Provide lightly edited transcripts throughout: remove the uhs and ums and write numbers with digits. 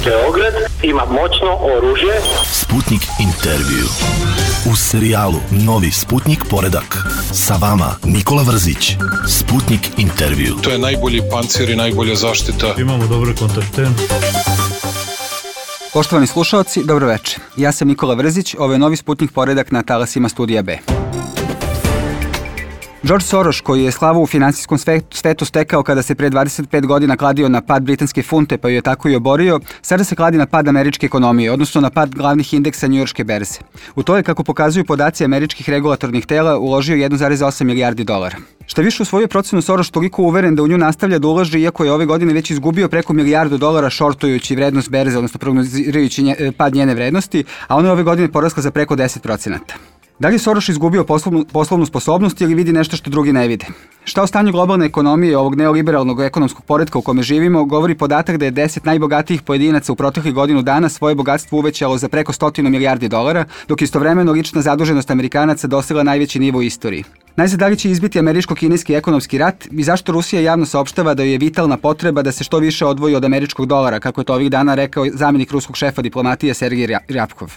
Beograd ima moćno oružje. Sputnik intervju. U serijalu Novi Sputnik poredak. Sa vama Nikola Vrzić. Sputnik intervju. To je najbolji pancir i najbolja zaštita. Imamo dobre kontakte. Poštovani slušalci, dobro večer. Ja sam Nikola Vrzić, ovo je Novi Sputnik poredak na talasima Studija B. George Soros, koji je slavu u finansijskom svetu stekao kada se pre 25 godina kladio na pad britanske funte, pa ju je tako i oborio, sada se kladi na pad američke ekonomije, odnosno na pad glavnih indeksa njujorške berze. U to je, kako pokazuju podaci američkih regulatornih tela, uložio 1,8 milijardi dolara. Šta više, u svoju procenu Soros toliko uveren da u nju nastavlja da ulaže, iako je ove godine već izgubio preko milijardu dolara šortujući vrednost berze, odnosno prognozirajući pad njene vrednosti, a ona je ove godine porasla za preko 10%. Da li je Soros izgubio poslovnu sposobnost ili vidi nešto što drugi ne vide? Šta o stanju globalne ekonomije, ovog neoliberalnog ekonomskog poretka u kome živimo, govori podatak da je 10 najbogatijih pojedinaca u proteklih godinu dana svoje bogatstvo uvećalo za preko 100 milijardi dolara, dok istovremeno lična zaduženost Amerikanaca dosegla najveći nivo u istoriji. Najzad, da li će izbiti američko-kineski ekonomski rat i zašto Rusija javno saopštava da je vitalna potreba da se što više odvoji od američkog dolara, kako je to ovih dana rekao zamjenik ruskog šefa diplomatije Sergej Ryabkov.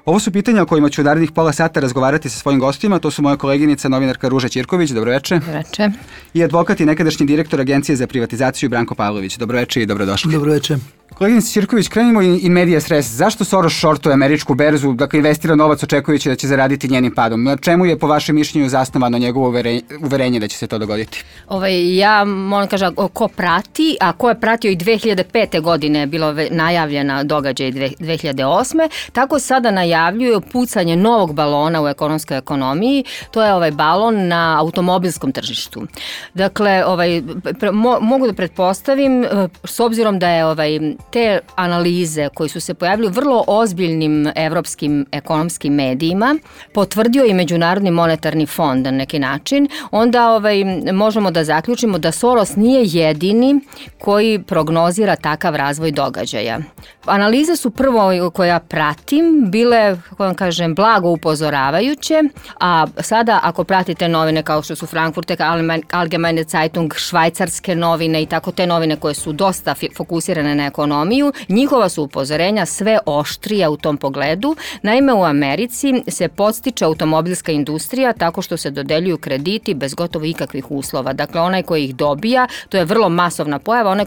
Ovo su pitanja o kojima ću u narednih pola sata razgovarati sa svojim gostima. To su moja koleginica, novinarka Ruža Ćirković. Dobroveče. Dobroveče. I advokat i nekadašnji direktor Agencije za privatizaciju Branko Pavlović. Dobroveče i dobrodošli. Dobroveče. Koleginica Ćirković, krenimo in medias res. Zašto Soros šortuje američku berzu, dakle investira novac očekujući da će zaraditi njenim padom? Na čemu je po vašem mišljenju zasnovano njegovo uverenje da će se to dogoditi? Ja moram kažem, ko prati, a ko je pratio i 2005. godine je bilo najavljena događaj 2008. Tako sada najavljuju pucanje novog balona u ekonomskoj ekonomiji. To je balon na automobilskom tržištu. Dakle, mogu da pretpostavim, s obzirom da je te analize koji su se pojavili u vrlo ozbiljnim evropskim ekonomskim medijima, potvrdio i Međunarodni monetarni fond na neki način, onda možemo da zaključimo da Soros nije jedini koji prognozira takav razvoj događaja. Analize su prvo koje ja pratim bile, kako vam kažem, blago upozoravajuće, a sada ako pratite novine kao što su Frankfurter Allgemeine Zeitung, švajcarske novine i tako te novine koje su dosta fokusirane na ekonomiju, njihova su upozorenja sve oštrija u tom pogledu. Naime, u Americi se podstiče automobilska industrija tako što se dodeljuju krediti bez gotovo ikakvih uslova. Dakle, onaj koji ih dobija, to je vrlo masovna pojava, onaj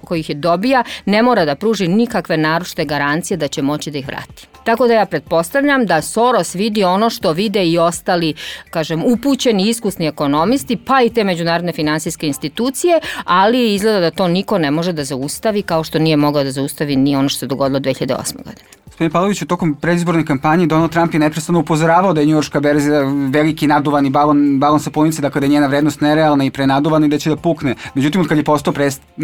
koji ih dobija ne mora da pruži nikakve naročite garancije da će moći da ih vrati. Tako da ja pretpostavljam da Soros vidi ono što vide i ostali, kažem, upućeni, iskusni ekonomisti, pa i te međunarodne finansijske institucije, ali izgleda da to niko ne može da zaustavi, kao što nije mogao da zaustavi ni ono što se dogodilo 2008. godine. Gospodine Pavloviću, tokom predizborne kampanje Donald Trump je neprestano upozoravao da je njujorška berza veliki naduvani balon sa punice, dakle da je njena vrednost nerealna i prenaduvana i da će da pukne. Međutim, od kad je postao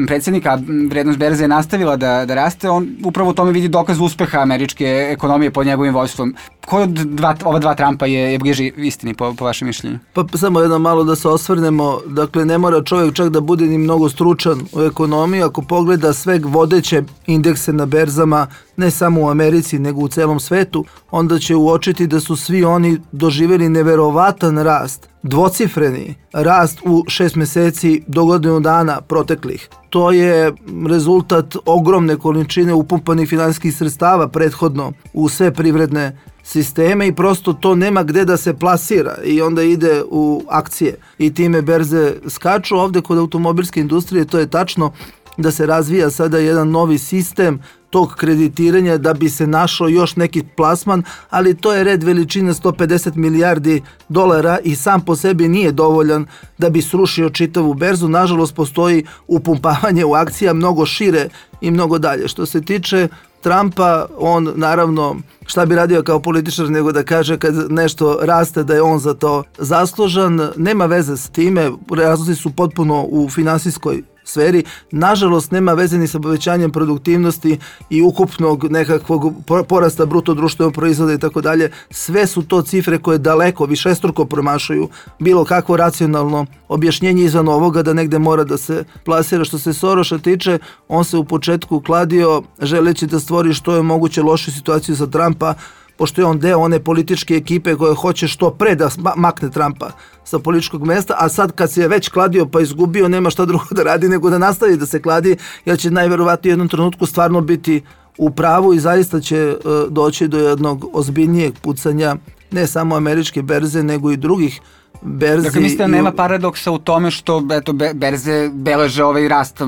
predsjednik, a vrednost berze je nastavila da raste, on upravo u tome vidi dokaz uspeha američke ekonomije pod njegovim vođstvom. Koji od ova dva Trumpa je bliži istini po vašem mišljenju? Pa samo jedno malo da se osvrnemo. Dakle, ne mora čovjek čak da bude ni mnogo stručan u ekonomiji. Ako pogleda sve vodeće indekse na berzama, ne samo u Americi, nego u celom svetu, onda će uočiti da su svi oni doživjeli neverovatan rast, dvocifreni rast u 6 meseci do godinu dana proteklih. To je rezultat ogromne količine upumpanih finansijskih sredstava prethodno u sve privredne sisteme i prosto to nema gde da se plasira i onda ide u akcije i time berze skaču. Ovde kod automobilske industrije to je tačno da se razvija sada jedan novi sistem tog kreditiranja da bi se našao još neki plasman, ali to je red veličine 150 milijardi dolara i sam po sebi nije dovoljan da bi srušio čitavu berzu. Nažalost, postoji upumpavanje u akcija mnogo šire i mnogo dalje. Što se tiče Trumpa, on naravno šta bi radio kao političar nego da kaže kad nešto raste da je on za to zaslužan. Nema veze s time, razlozi su potpuno u finansijskoj sferi. Nažalost, nema veze ni sa povećanjem produktivnosti i ukupnog nekakvog porasta bruto društvenog proizvoda i tako dalje. Sve su to cifre koje daleko, višestruko promašuju bilo kakvo racionalno objašnjenje izvan ovoga da negde mora da se plasira. Što se Soroša tiče, on se u početku kladio želeći da stvori što je moguće lošu situaciju za Trumpa, pošto je on deo one političke ekipe koja hoće što pre da makne Trumpa sa političkog mesta, a sad kad se je već kladio pa izgubio, nema šta drugo da radi nego da nastavi da se kladi, jer će najverovatnije u jednom trenutku stvarno biti u pravu i zaista će doći do jednog ozbiljnijeg pucanja ne samo američke berze, nego i drugih berzi. Dakle, mislite da nema paradoksa u tome što berze beleže ovaj rast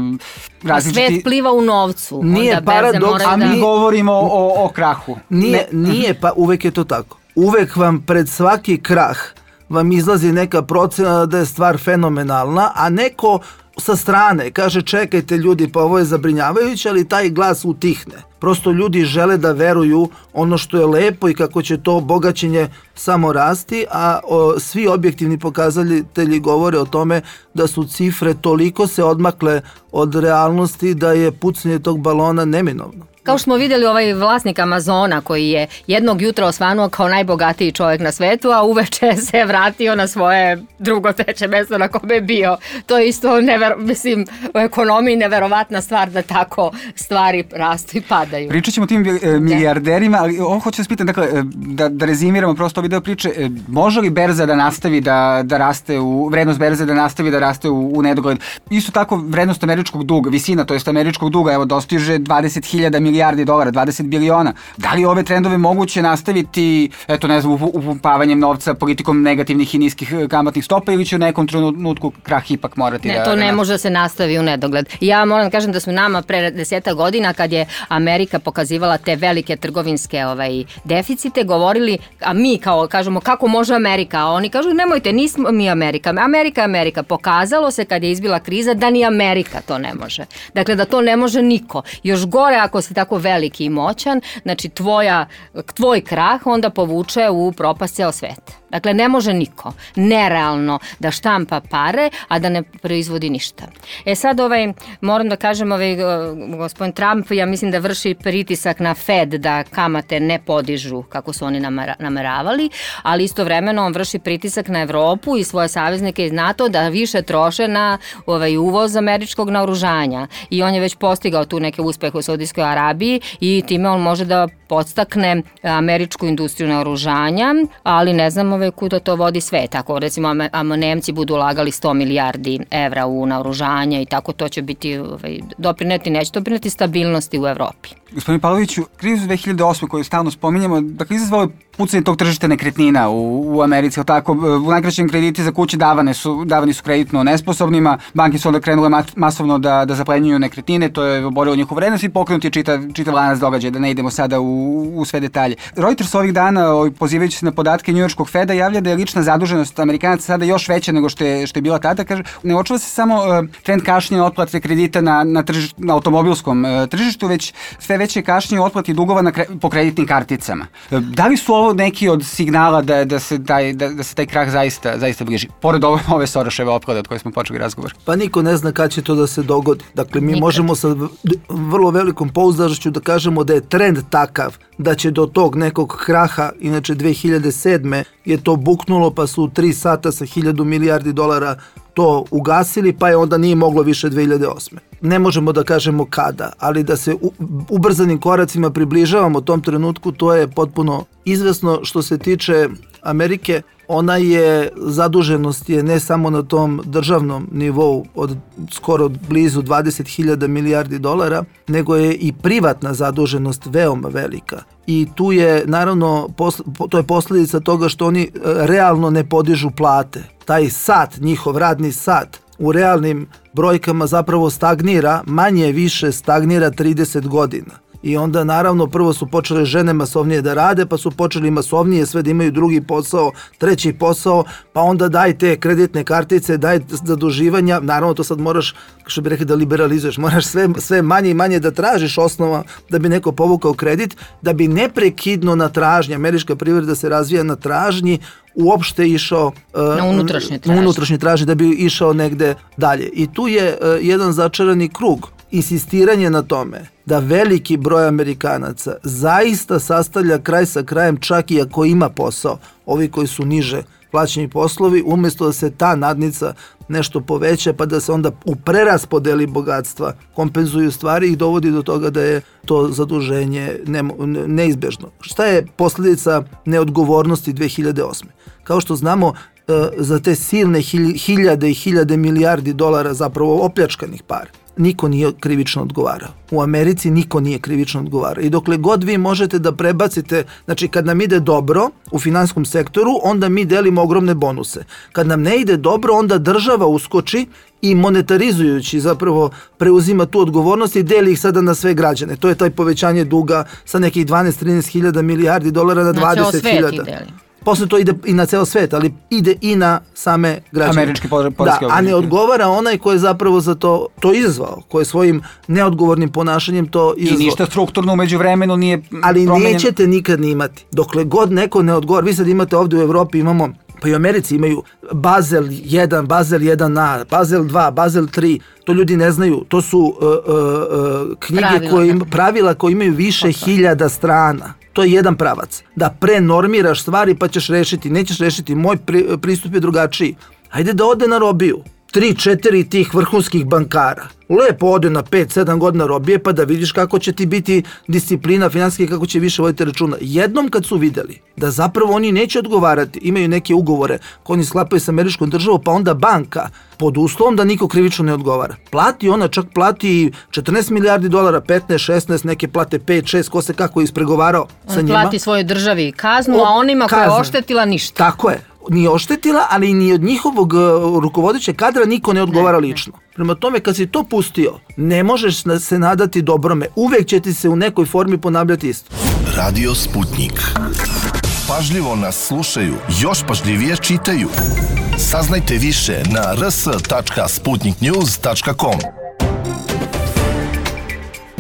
različiti... Svet pliva u novcu. Nije paradoks, a mi govorimo o krahu. Nije, pa uvek je to tako. Uvek vam pred svaki krah vam izlazi neka procena da je stvar fenomenalna, a neko sa strane kaže čekajte ljudi, pa ovo je zabrinjavajuće, ali taj glas utihne. Prosto ljudi žele da veruju ono što je lepo i kako će to bogaćenje samo rasti, a svi objektivni pokazatelji govore o tome da su cifre toliko se odmakle od realnosti da je pucanje tog balona neminovno. Kao što smo vidjeli, ovaj vlasnik Amazona koji je jednog jutra osvanuo kao najbogatiji čovjek na svetu, a uveče se vratio na svoje drugo, treće mjesto na kome je bio. To je isto, mislim, u ekonomiji neverovatna stvar da tako stvari rastu i padaju. Pričat ćemo o tim milijarderima, ali ovo hoću vas pitati, dakle, da rezimiramo prosto ove deo priče, može li berza da nastavi da raste, vrednost berze da nastavi da raste u nedogled? Isto tako, vrednost američkog duga, visina, to jest američkog duga, evo, dostiže 20.000 milijardi dolara, 20 biliona. Da li ove trendove moguće nastaviti, eto, ne znam, upumpavanjem novca, politikom negativnih i niskih kamatnih stopa, ili će u nekom trenutku krah ipak morati to ne može da se nastavi u nedogled. Ja moram da kažem da su nama pre 10 godina, kad je Amerika pokazivala te velike trgovinske deficite, govorili, a mi kao kažemo kako može Amerika, a oni kažu nemojte, nismo mi Amerika. Amerika. Pokazalo se kad je izbila kriza da ni Amerika to ne može. Dakle, da to ne može niko. Još gore ako si tako veliki i moćan, znači tvoj krah onda povuče u propast ceo svet. Dakle, ne može niko, nerealno da štampa pare, a da ne proizvodi ništa. Sad moram da kažem, gospodin Trump, ja mislim da vrši pritisak na Fed da kamate ne podižu kako su oni nameravali, ali istovremeno on vrši pritisak na Evropu i svoje saveznike iz NATO da više troše na uvoz američkog naoružanja. I on je već postigao tu neke uspehe u Saudijskoj Arabiji i time on može da podstakne američku industriju naoružanja, ali ne znam kuda to vodi svet. Ako recimo Nemci budu ulagali 100 milijardi evra u naoružanje i tako, to će biti neće doprineti stabilnosti u Evropi. Gospodin Pavloviću, krizu 2008. koju stalno spominjemo, dakle, izazvalo je pucanje tog tržišta nekretnina u Americi, tako, u najkraćem krediti za kuće davani su kreditno nesposobnima, banke su onda krenule masovno da zaplenjuju nekretnine, to je oborilo njihovu vrednost i pokrenut je čitav lanac događaja, da ne idemo sada u sve detalje. Reuters ovih dana, pozivajući se na podatke njujorškog Feda, javlja da je lična zaduženost Amerikanaca sada još veća nego što je bila tada. Kaže, ne očuva se samo trend kašnjenja otplate kredita na automobilskom tržištu, već sve veće kašnjenje otplati dugova po kreditnim karticama. Da li su ovo neki od signala da se taj krah zaista bliži? Pored ove Soroševe opklade od koje smo počeli razgovor. Pa niko ne zna kad će to da se dogodi. Dakle, mi možemo sa vrlo velikom pouzdanošću da kažemo da je trend takav da će do tog nekog kraha, inače 2007. je to buknulo, pa su 3 sata sa 1000 milijardi dolara to ugasili, pa je onda nije moglo više 2008. Ne možemo da kažemo kada, ali da se ubrzanim koracima približavamo tom trenutku, to je potpuno izvesno. Što se tiče Amerike, zaduženost je ne samo na tom državnom nivou od skoro blizu 20.000 milijardi dolara, nego je i privatna zaduženost veoma velika. I tu je, naravno, to je posljedica toga što oni realno ne podižu plate. Taj sat, njihov radni sat, u realnim brojkama zapravo stagnira, manje više stagnira 30 godina. I onda naravno prvo su počele žene masovnije da rade, pa su počeli masovnije sve da imaju drugi posao, treći posao, pa onda daj te kreditne kartice, daj zaduživanja, naravno to sad moraš, što bi rekli, da liberalizuješ, moraš sve manje i manje da tražiš osnova da bi neko povukao kredit, da bi neprekidno na tražnji, američka privreda se razvija na tražnji, uopšte išao na unutrašnje tražnje, da bi išao negde dalje. I tu je jedan začarani krug. Insistiranje na tome da veliki broj Amerikanaca zaista sastavlja kraj sa krajem, čak i ako ima posao, ovi koji su niže plaćeni poslovi, umjesto da se ta nadnica nešto poveća, pa da se onda u preraspodeli bogatstva kompenzuju stvari i dovodi do toga da je to zaduženje neizbežno. Šta je posljedica neodgovornosti 2008. Kao što znamo, za te silne hiljade i hiljade milijardi dolara zapravo opljačkanih para, niko nije krivično odgovarao. U Americi niko nije krivično odgovarao. I dokle god vi možete da prebacite, znači kad nam ide dobro u finansijskom sektoru, onda mi delimo ogromne bonuse. Kad nam ne ide dobro, onda država uskoči i monetarizujući zapravo preuzima tu odgovornost i deli ih sada na sve građane. To je taj povećanje duga sa nekih 12-13 hiljada milijardi dolara na 20 hiljada. Posle to ide i na ceo svet, ali ide i na same građane. Američki poreski obveznici. A ne odgovara onaj ko je zapravo za to izazvao, ko je svojim neodgovornim ponašanjem to izazvao. I ništa strukturno umeđu vremenu nije ali promenjeno. Nećete nikad ni imati. Dokle god neko ne odgovara, vi sad imate ovde u Evropi, imamo, pa i u Americi imaju Basel 1, Basel 1A, Basel 2, Basel 3, to ljudi ne znaju. To su pravila koje imaju više hiljada strana. To je jedan pravac. Da prenormiraš stvari pa ćeš rešiti. Nećeš rešiti. Moj pristup je drugačiji. Hajde da ode na robiju. 3-4 tih vrhunskih bankara. Lepo ode na 5-7 godina robije pa da vidiš kako će ti biti disciplina finansijska, kako će više voditi računa. Jednom kad su videli da zapravo oni neće odgovarati, imaju neke ugovore koje oni sklapaju sa američkom državom, pa onda banka pod uslovom da niko krivično ne odgovara. Plati ona, čak plati 14 milijardi dolara, 15, 16, neke plate 5, 6, ko se kako ispregovarao sa njima. Plati svojoj državi kaznu, a onima koja je oštetila ništa. Tako je. Nije oštetila, ali ni od njihovog rukovodećeg kadra niko ne odgovara lično. Prema tome, kad si to pustio, ne možeš se nadati dobrome. Uvek će ti se u nekoj formi ponavljati isto. Radio Sputnik. Pažljivo nas slušaju, još pažljivije čitaju. Saznajte više na rs.sputniknews.com.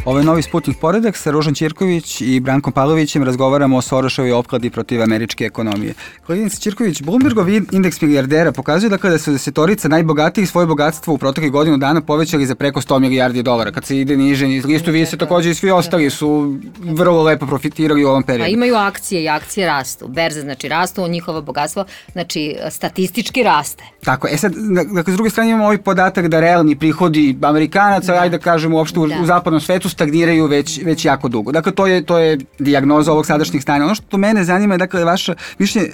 Ovo je novi Sputnik poredak sa Ružom Ćirković i Brankom Pavlovićem. Razgovaramo o Soroševoj opkladi protiv američke ekonomije. Koleginica Ćirković, Bloombergov indeks milijardera pokazuje da kada su desetorica najbogatijih svoje bogatstvo u proteklih godinu dana povećali za preko 100 milijardi dolara. Kad se ide niže niz listu, vi se takođe i svi ostali su vrlo lepo profitirali u ovom periodu. A imaju akcije i akcije rastu. Berze znači rastu, njihovo bogatstvo znači statistički raste. Tako, sad, dakle, s druge strane imamo ovaj podatak da realni prihodi Amerikanaca, ajde da kažemo uopšte u zapadnom svetu, stagniraju već jako dugo. Dakle, to je dijagnoza ovog sadašnjeg stanja. Ono što mene zanima je, dakle, vaše mišljenje,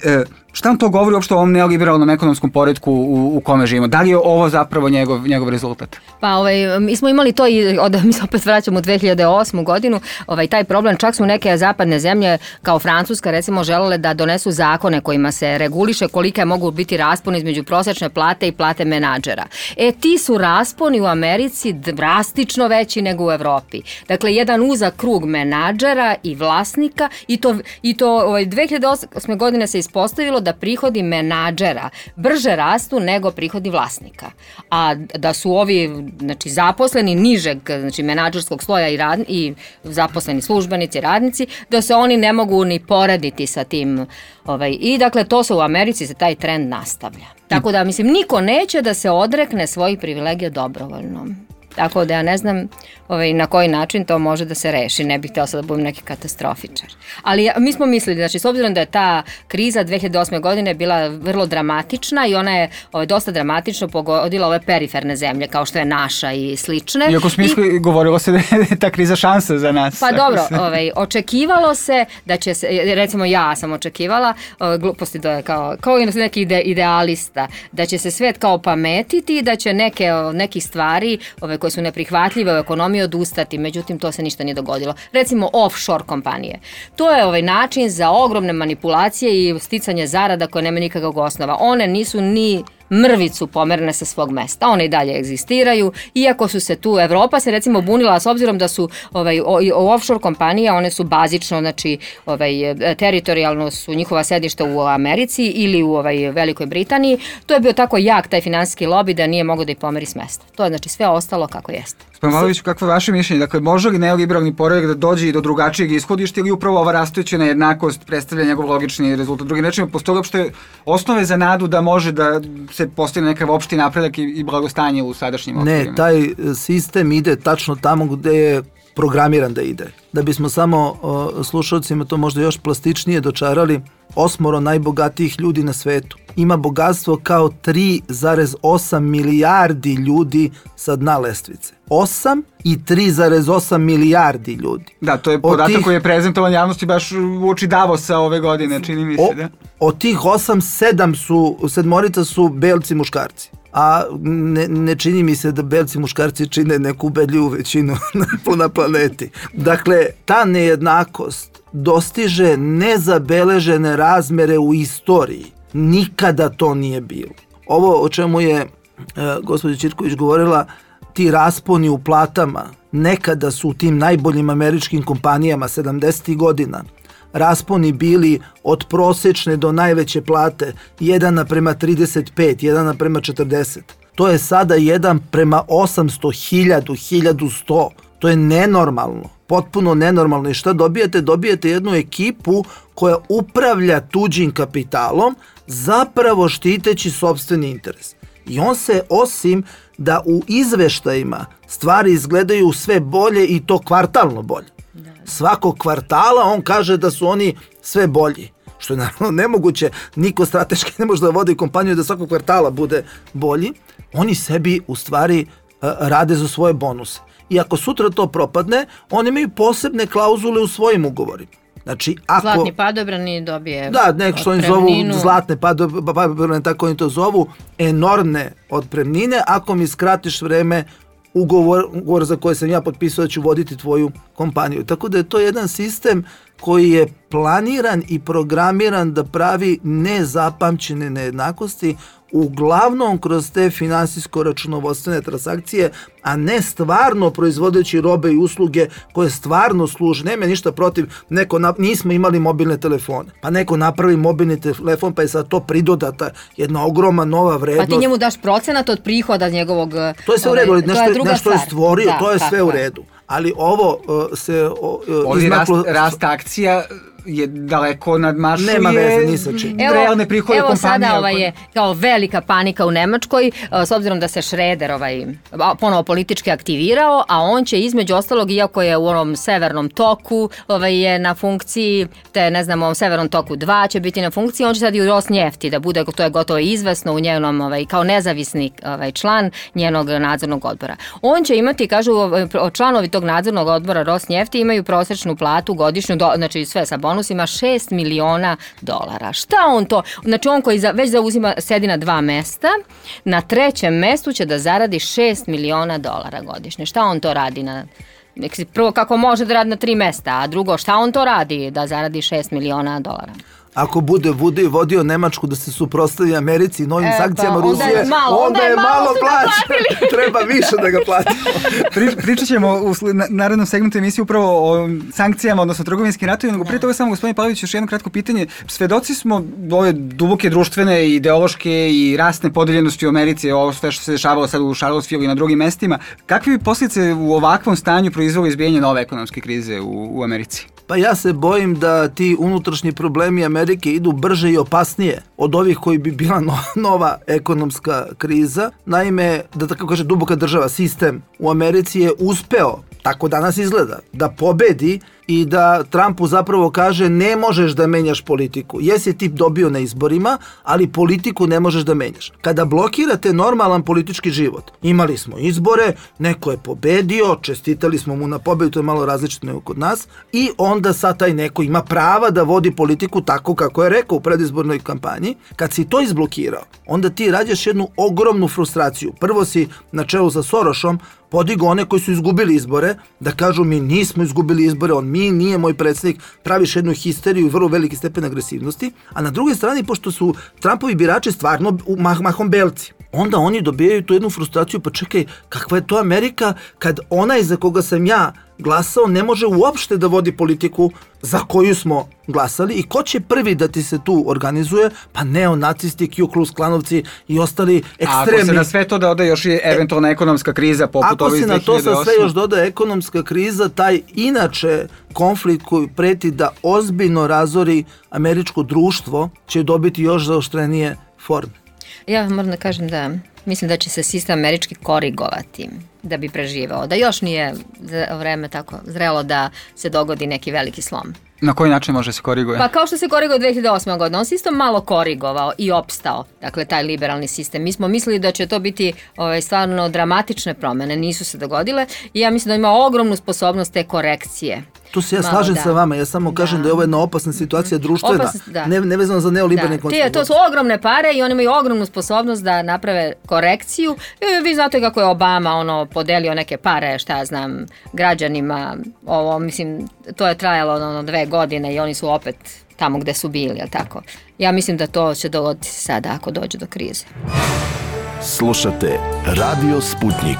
šta vam to govori uopšte o ovom neoliberalnom ekonomskom poretku u kome živimo? Da li je ovo zapravo njegov rezultat? Pa, mi smo imali to i mi se opet vraćamo u 2008. godinu, taj problem, čak su neke zapadne zemlje, kao Francuska, recimo, želele da donesu zakone kojima se reguliše kolike mogu biti rasponi između prosečne plate i plate menadžera. Ti su rasponi u Americi drastično veći nego u Evropi. Dakle, jedan uzak krug menadžera i vlasnika i to 2008. godine se ispostavilo da prihodi menadžera brže rastu nego prihodi vlasnika. A da su ovi zaposleni nižeg menadžerskog sloja i zaposleni službenici, radnici, da se oni ne mogu ni porediti sa tim. I dakle, to se u Americi, se taj trend nastavlja. Tako da, mislim, niko neće da se odrekne svojih privilegija dobrovoljno. Tako da ja ne znam na koji način to može da se reši. Ne bih htjela sad da budem neki katastrofičar. Ali mi smo mislili, znači, s obzirom da je ta kriza 2008. godine bila vrlo dramatična i ona je dosta dramatično pogodila ove periferne zemlje, kao što je naša i slične. Iako smo govorilo se da je ta kriza šansa za nas. Pa dobro, očekivalo se da će se, recimo ja sam očekivala, gluposti to je kao neki idealista, da će se svet kao pametiti, da će nekih stvari koje su neprihvatljive u ekonomiji odustati, međutim to se ništa nije dogodilo. Recimo offshore kompanije. To je način za ogromne manipulacije i sticanje zarada koje nema nikakvog osnova. One nisu ni mrvicu pomerene sa svog mesta. One i dalje egzistiraju, iako su se tu, Evropa se recimo bunila s obzirom da su offshore kompanije, one su bazično, znači teritorijalno su njihova sedišta u Americi ili u Velikoj Britaniji. To je bio tako jak taj finansijski lobi da nije mogao da ih pomeri s mesta. To je znači sve ostalo kako jeste. Spomaloviću, kakvo je vaše mišljenje? Dakle, može li neoliberalni poredak da dođe i do drugačijeg ishodišta ili upravo ova rastuća nejednakost predstavlja njegov logični rezultat? Drugim rečima, postoje uopšte osnove za nadu da može da se postigne nekav opšti napredak i blagostanje u sadašnjim okvirima? Ne, taj sistem ide tačno tamo gde je programiran da ide. Da bismo samo slušalcima to možda još plastičnije dočarali, 8 najbogatijih ljudi na svetu ima bogatstvo kao 3,8 milijardi ljudi sa dna lestvice. 8 i 3,8 milijardi ljudi. Da, to je podatak koji je prezentovan javnosti baš u oči Davosa ove godine, čini mi se, da? Od tih 8, sedmorica su belci muškarci. A ne čini mi se da belci muškarci čine neku ubedljivu većinu na planeti. Dakle, ta nejednakost dostiže nezabeležene razmere u istoriji. Nikada to nije bilo. Ovo o čemu je gospođa Ćirković govorila, ti rasponi u platama, nekada su u tim najboljim američkim kompanijama 70. godina rasponi bili od prosečne do najveće plate 1:35, 1:40. To je sada 1:800, 1100. To je nenormalno, potpuno nenormalno. I šta dobijete? Dobijete jednu ekipu koja upravlja tuđim kapitalom, zapravo štiteći sopstveni interes. I on se, osim da u izveštajima stvari izgledaju sve bolje i to kvartalno bolje. Svakog kvartala on kaže da su oni sve bolji. Što je naravno nemoguće, niko strateški ne može da vodi kompaniju da svakog kvartala bude bolji. Oni sebi u stvari rade za svoje bonuse. I ako sutra to propadne, oni imaju posebne klauzule u svojim ugovorima. Znači, ako... Zlatni padobrani dobije nek što oni zovu zlatne padobrane, tako oni to zovu, enormne otpremnine. Ako mi skratiš vreme, ugovor za koji sam ja potpisao da ću voditi tvoju kompaniju. Tako da je to jedan sistem koji je planiran i programiran da pravi nezapamćene nejednakosti, uglavnom kroz te finansijsko-računovodstvene transakcije, a ne stvarno proizvodeći robe i usluge koje stvarno služe. Nema ništa protiv, nismo imali mobilne telefone, pa neko napravi mobilni telefon, pa je sad to pridodata jedna ogromna nova vrednost. Pa ti njemu daš procenat od prihoda njegovog... To je sve u redu, nešto je stvorio, to je sve u redu. Ali ovo se izmaklo... Rast akcija je daleko nadmašuje. Nema veze, ni sa čim. Realne prihode kompanije. Evo sada je kao velika panika u Nemačkoj, s obzirom da se Šreder ponovo politički aktivirao, a on će između ostalog, iako je u onom severnom toku, je na funkciji, te ne znam, ovom severnom toku 2 će biti na funkciji, on će sad i u Rosnjefti da bude, to je gotovo izvesno u njenom, kao nezavisni član njenog nadzornog odbora. On će imati, kažu, članovi tog nadzornog odbora Rosnjefti imaju prosečnu platu godišnju, znači sve sa bonusima, $6 miliona. Šta on to? Znači on koji već sedi na 2 mesta, na 3. mestu će da zaradi $6 miliona godišnje. Šta on to radi prvo kako može da radi na 3 mesta, a drugo šta on to radi da zaradi $6 miliona? Ako bude vodio Nemačku da se suprotstavi Americi i novim sankcijama Rusije, onda je malo plaća. Treba više da ga platimo. Pričat ćemo u narednom segmentu emisije upravo o sankcijama, odnosno trgovinskim ratovima, nego prije toga samo gospodin Pavlović još jedno kratko pitanje. Svedoci smo ove duboke društvene, ideološke i rasne podeljenosti u Americi, ovo sve što se dešavalo sad u Charlottesville i na drugim mestima. Kakve bi posljedice u ovakvom stanju proizvelo izbijanje nove ekonomske krize u Americi? Pa ja se bojim da ti unutrašnji problemi Amerike idu brže i opasnije od ovih koji bi bila nova ekonomska kriza. Naime, da tako kaže, duboka država, sistem u Americi je uspeo, tako danas izgleda, da pobedi i da Trumpu zapravo kaže ne možeš da menjaš politiku. Jesi ti dobio na izborima, ali politiku ne možeš da menjaš. Kada blokirate normalan politički život, imali smo izbore, neko je pobedio, čestitali smo mu na pobedu, to je malo različito nego kod nas, i onda sad taj neko ima prava da vodi politiku tako kako je rekao u predizbornoj kampanji. Kad si to izblokirao, onda ti rađaš jednu ogromnu frustraciju. Prvo si na čelu sa Sorošom podigo one koji su izgubili izbore, da kažu mi nismo izgubili izbore, on mi nije moj predsjednik, praviš jednu histeriju i vrlo veliki stepen agresivnosti, a na drugoj strani, pošto su Trumpovi birači stvarno mahom belci, onda oni dobijaju tu jednu frustraciju, pa čekaj, kakva je to Amerika kad onaj za koga sam ja glasao ne može uopšte da vodi politiku za koju smo glasali, i ko će prvi da ti se tu organizuje? Pa neonacisti, Ku Klux Klanovci i ostali ekstremni. Ako se na sve to doda još i eventualna ekonomska kriza poput ove iz 2008. Ako se na to sa sve još doda ekonomska kriza, taj inače konflikt koji preti da ozbiljno razori američko društvo će dobiti još zaoštrenije forme. Ja moram da kažem da mislim da će se sistem američki korigovati da bi preživao, da još nije vreme tako zrelo da se dogodi neki veliki slom. Na koji način može se koriguje? Pa kao što se koriguje 2008. godine, on se isto malo korigovao i opstao, dakle taj liberalni sistem. Mi smo mislili da će to biti stvarno dramatične promene, nisu se dogodile, i ja mislim da ima ogromnu sposobnost te korekcije. Tu se ja slažem sa vama, ja samo kažem da je ovo jedna opasna situacija društvena, nevezano za neoliberalni koncept. To su ogromne pare i oni imaju ogromnu sposobnost da naprave korekciju. Vi znate kako je Obama podelio neke pare, šta ja znam, građanima, mislim, to je trajalo 2 godine i oni su opet tamo gde su bili, jel tako? Ja mislim da to će dogoditi sada ako dođe do krize. Slušate Radio Sputnik.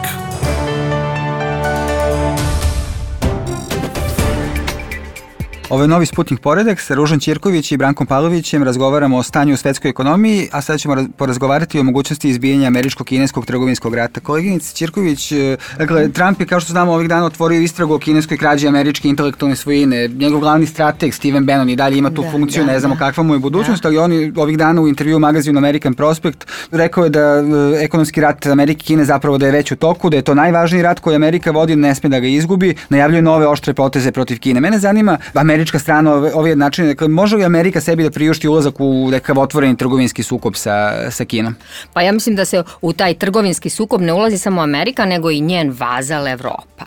Ovo je novi Sputnik poredak sa Ružom Ćirković i Brankom Pavlovićem. Razgovaramo o stanju u svetskoj ekonomiji, a sada ćemo porazgovarati o mogućnosti izbijanja američko-kineskog trgovinskog rata. Koleginice Ćirković, dakle, Trump je, kao što znamo, ovih dana otvorio istragu o kineskoj krađi američke intelektualne svojine. Njegov glavni strateg, Steven Bannon, i dalje ima tu funkciju, ne znamo kakva mu je budućnost, ali on ovih dana u intervju u magazinu American Prospect rekao je da ekonomski rat Amerike i Kine zapravo da je već u toku, da je to najvažniji rat koji Amerika vodi, ne sme da ga izgubi, najavljuje nove oštre poteze protiv Kine. Mene zanima, američka strana ove načine, dakle, može li Amerika sebi da priušti ulazak u nekakav otvoreni trgovinski sukob sa Kinom? Pa ja mislim da se u taj trgovinski sukob ne ulazi samo Amerika, nego i njen vazal Evropa.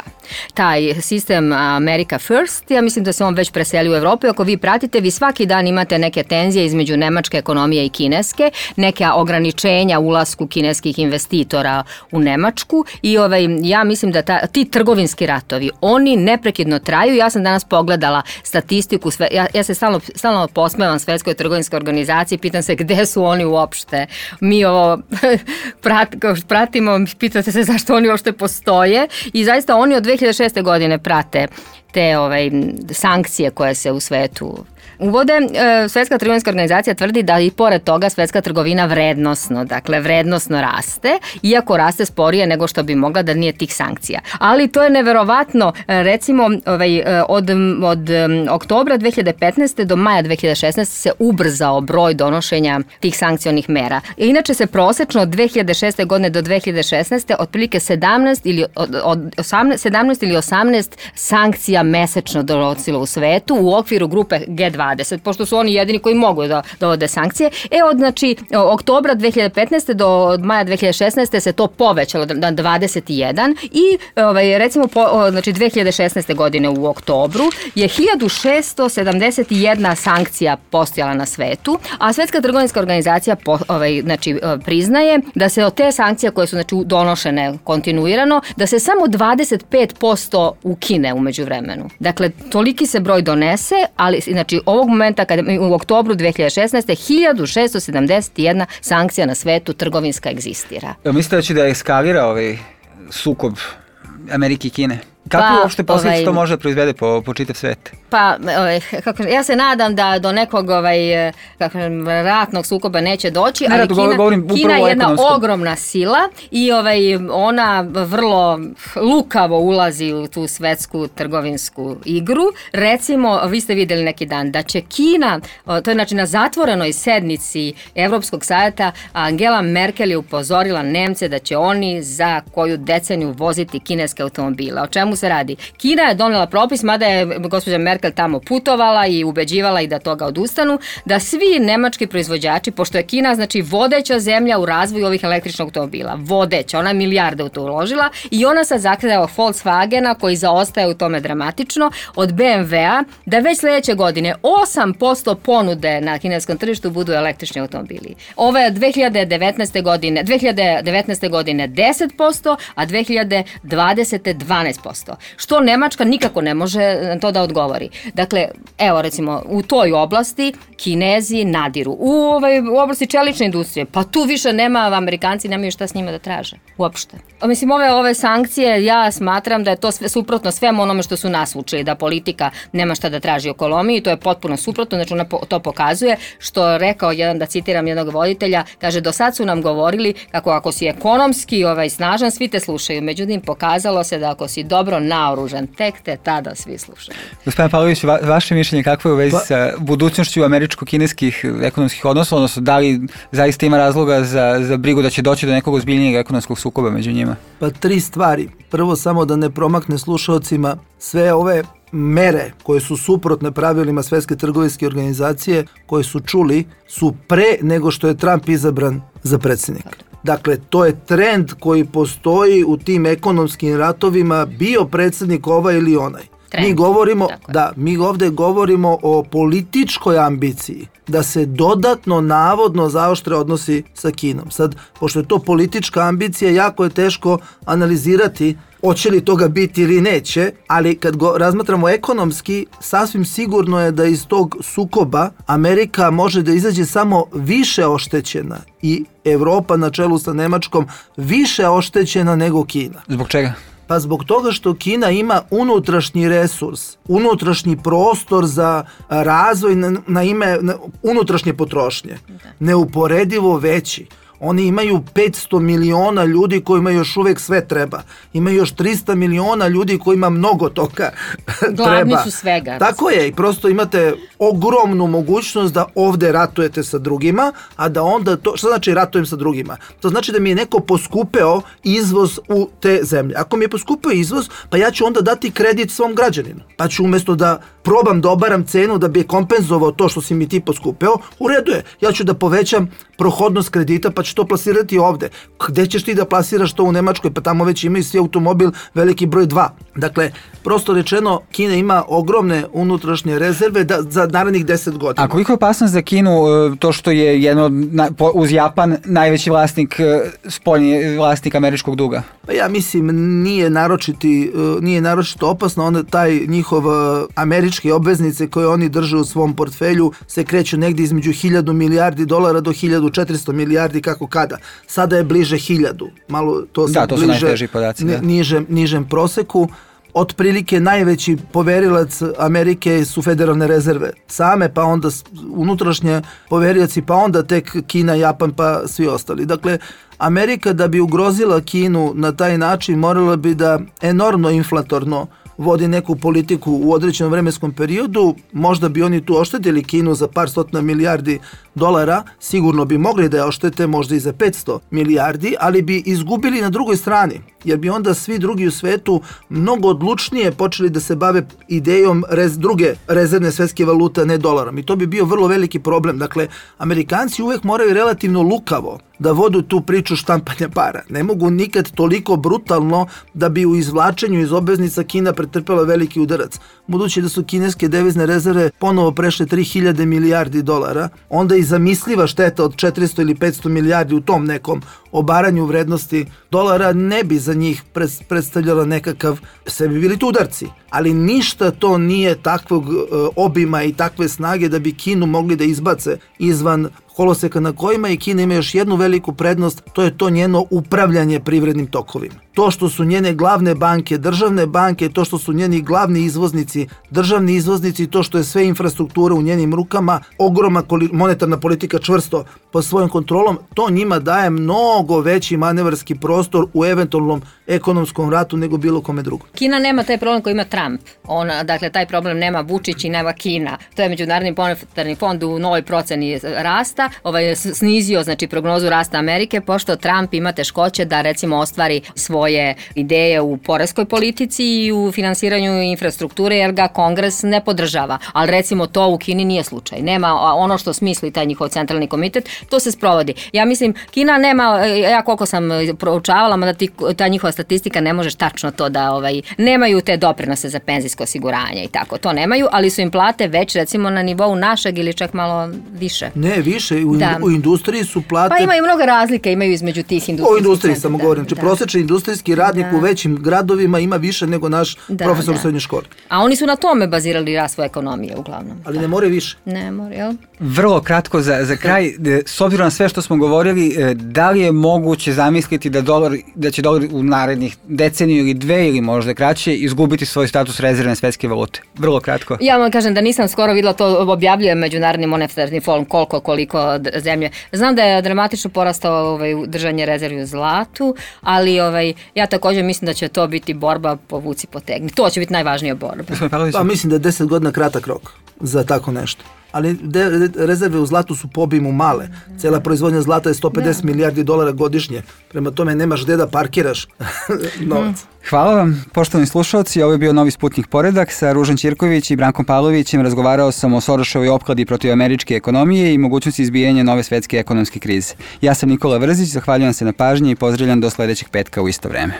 Taj sistem America First, ja mislim da se on već preseli u Evropu. Ako vi pratite, vi svaki dan imate neke tenzije između nemačke ekonomije i kineske, neke ograničenja ulasku kineskih investitora u Nemačku i ja mislim da ti trgovinski ratovi, oni neprekidno traju. Ja sam danas pogledala statistiku, ja se stalno posmevam Svetskoj trgovinskoj organizaciji, pitam se gde su oni uopšte. Mi ovo pratimo, pitate se zašto oni uopšte postoje i zaista oni od 2006. godine prate te sankcije koje se u svetu uvode. Svetska trgovinska organizacija tvrdi da i pored toga svetska trgovina vrednosno raste, iako raste sporije nego što bi mogla da nije tih sankcija. Ali to je neverovatno, recimo od oktobra 2015. do maja 2016. se ubrzao broj donošenja tih sankcionih mera. Inače se prosečno od 2006. godine do 2016. otprilike 17 ili 18 sankcija mesečno donosilo u svetu u okviru grupe G20, pošto su oni jedini koji mogu da dovode sankcije. Od oktobra 2015. do maja 2016. se to povećalo na 21 i recimo 2016. godine u oktobru je 1671 sankcija postojala na svetu, a Svetska trgovinska organizacija priznaje da se od te sankcije koje su donošene kontinuirano, da se samo 25% ukine u međuvremenu. Dakle, toliki se broj donese, ali ovog momenta u oktobru 2016. 1671 sankcija na svetu trgovinska egzistira. Mislite da će da eskalira sukob Amerike i Kine? Kako uopšte posljedice to može proizvede po čitav svet? Ja se nadam da do nekog ratnog sukoba neće doći, ali Kina je jedna ogromna sila i ona vrlo lukavo ulazi u tu svetsku trgovinsku igru. Recimo, vi ste vidjeli neki dan da će Kina, to je na zatvorenoj sednici Evropskog savjeta, Angela Merkel je upozorila Nemce da će oni za koju deceniju voziti kineske automobile. O čemu se radi? Kina je donela propis, mada je gospođa Merkel tamo putovala i ubeđivala i da toga odustanu, da svi nemački proizvođači, pošto je Kina vodeća zemlja u razvoju ovih električnih automobila, vodeća, ona je milijarde u to uložila i ona sad zahteva od Volkswagena, koji zaostaje u tome dramatično, od BMW-a, da već sljedeće godine 8% ponude na kineskom tržištu budu električni automobili. Ovo je 2019. godine 10%, a 2020. 12%. Što Nemačka nikako ne može to da odgovori. Dakle, evo recimo, u toj oblasti Kinezi nadiru. U oblasti čelične industrije, pa tu više nema, Amerikanci nemaju šta s njima da traže. Uopšte. Mislim, ove sankcije, ja smatram da je to suprotno svemu onome što su nas učili, da politika nema šta da traži u ekonomiji, to je potpuno suprotno, ona to pokazuje, što je rekao da citiram jednog voditelja, kaže, do sad su nam govorili kako ako si ekonomski snažan, svi te slušaju. Međutim, pokazalo se da ako si dobro naoružan, tek te tada svi slušaju. Gospodin Pavlović, vaše mišljenje kakvo je u vezi sa budućnošću američko-kineskih ekonomskih odnosa, odnosno da li zaista ima razloga za brigu da će doći do nekog ozbiljnijeg ekonomskog sukoba među njima? Pa 3 stvari. Prvo, samo da ne promakne slušalcima, sve ove mere koje su suprotne pravilima Svetske trgovinske organizacije, koje su čuli, su pre nego što je Trump izabran za predsjednika. Dakle, to je trend koji postoji u tim ekonomskim ratovima, bio predsjednik ovaj ili onaj. Mi ovde govorimo o političkoj ambiciji da se dodatno navodno zaoštre odnosi sa Kinom. Sad, pošto je to politička ambicija, jako je teško analizirati hoće li toga biti ili neće, ali kad razmatramo ekonomski, sasvim sigurno je da iz tog sukoba Amerika može da izađe samo više oštećena i Evropa na čelu sa Nemačkom više oštećena nego Kina. Zbog čega? Pa zbog toga što Kina ima unutrašnji resurs, unutrašnji prostor za razvoj na ime unutrašnje potrošnje, neuporedivo veći. Oni imaju 500 miliona ljudi kojima još uvek sve treba. Ima još 300 miliona ljudi kojima mnogo toga treba. Glavni su svega. Tako je, i prosto imate ogromnu mogućnost da ovde ratujete sa drugima, a da onda to, što znači ratujem sa drugima? To znači da mi je neko poskupeo izvoz u te zemlje. Ako mi je poskupeo izvoz, pa ja ću onda dati kredit svom građaninu. Pa ću umjesto da probam da obaram cenu da bi je kompenzovao to što si mi ti poskupeo, u redu je. Ja ću da povećam prohodnost kredita, pa ću to plasirati ovde. Gde ćeš ti da plasiraš to u Nemačkoj? Pa tamo već imaju svi automobil veliki broj 2. Dakle, prosto rečeno, Kina ima ogromne unutrašnje rezerve za narednih 10 godina. A koliko je opasnost za Kinu to što je jedno, uz Japan, najveći vlasnik, spoljni vlasnik američkog duga? Pa ja mislim, nije naročito opasno. Taj njihov američke obveznice koje oni drže u svom portfelju se kreću negdje između 1000 milijardi dolara do 1400 milijardi, kako kada. Sada je bliže 1000. Malo to se bliže, su najteži podaci, nižem proseku. Otprilike najveći poverilac Amerike su federalne rezerve same, pa onda unutrašnje poverioci, pa onda tek Kina, Japan, pa svi ostali. Dakle, Amerika da bi ugrozila Kinu na taj način morala bi da enormno inflatorno vodi neku politiku u određenom vremenskom periodu. Možda bi oni tu oštetili Kinu za par stotina milijardi dolara, sigurno bi mogli da je oštete možda i za 500 milijardi, ali bi izgubili na drugoj strani, jer bi onda svi drugi u svetu mnogo odlučnije počeli da se bave idejom druge rezervne svetske valute, ne dolarom. I to bi bio vrlo veliki problem. Dakle, Amerikanci uvek moraju relativno lukavo da vodu tu priču štampanja para. Ne mogu nikad toliko brutalno da bi u izvlačenju iz obveznica Kina pretrpela veliki udarac. Budući da su kineske devizne rezerve ponovo prešle 3000 milijardi dolara, onda i zamisliva šteta od 400 ili 500 milijardi u tom nekom obaranju vrednosti dolara ne bi za njih predstavljala nekakav, sve bi bili tu udarci. Ali ništa to nije takvog obima i takve snage da bi Kinu mogli da izbace izvan koloseka na kojima, i Kina ima još jednu veliku prednost, to je to njeno upravljanje privrednim tokovima. To što su njene glavne banke, državne banke, to što su njeni glavni izvoznici, državni izvoznici, to što je sve infrastruktura u njenim rukama, ogromna monetarna politika čvrsto pod svojom kontrolom, to njima daje mnogo veći manevarski prostor u eventualnom ekonomskom ratu nego bilo kome drugom. Kina nema taj problem koji ima Trump. Dakle, taj problem nema Vučić i nema Kina. To je Međunarodni monetarni fond u novoj proceni rasta snizio, znači, prognozu rasta Amerike, pošto Trump ima teškoće da, recimo, ostvari svoje ideje u poreskoj politici i u finansiranju infrastrukture, jer ga Kongres ne podržava. Ali, recimo, to u Kini nije slučaj. Nema ono što smisli taj njihov centralni komitet, to se sprovodi. Ja mislim, Kina nema, ja koliko sam proučavala, da ta njihova statistika ne možeš tačno to da, nemaju te doprinose za penzijsko osiguranje i tako, to nemaju, ali su im plate već, recimo, na nivou našeg ili čak malo više. Ne, više, u industriji su plate... Pa imaju mnogo razlika, imaju između tih industrijskih... O industriji samo govorim, znači prosječni industrijski radnik u većim gradovima ima više nego naš profesor u srednjoj školi. A oni su na tome bazirali rast svoje ekonomije uglavnom. Ali ne more više. Ne more, jel? Vrlo kratko za kraj, s obzirom na sve što smo govorili, da li je moguće zamisliti da će dolar u narednih deceniju ili dve ili možda kraće izgubiti svoj status rezervne svetske valute? Vrlo kratko. Ja vam kažem da nisam skoro videla, to objavljuje Međunarodni monetarni fond koliko zemlje. Znam da je dramatično porastao držanje rezervi u zlatu, ali ja također mislim da će to biti borba povuci potegni. To će biti najvažnija borba. Pa mislim da je 10 godina kratak rok za tako nešto. Ali rezerve u zlatu su po obimu male. Cijela proizvodnja zlata je 150 milijardi dolara godišnje. Prema tome nemaš gde da parkiraš novac. Hvala vam, poštovani slušalci. Ovo je bio Novi Sputnik Poredak sa Ružan Ćirković i Brankom Pavlovićem. Razgovarao sam o Soroševoj opkladi protiv američke ekonomije i mogućnosti izbijanja nove svetske ekonomske krize. Ja sam Nikola Vrzić, zahvaljujem se na pažnji i pozdravljam do sledećeg petka u isto vreme.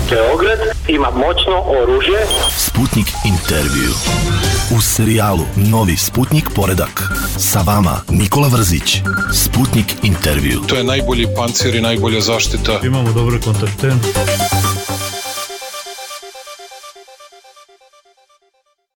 Beograd ima moćno oružje. Sputnik intervju. U serijalu Novi Sputnik poredak. Sa vama Nikola Vrzić. Sputnik intervju. To je najbolji pancir i najbolja zaštita. Imamo dobre kontakte.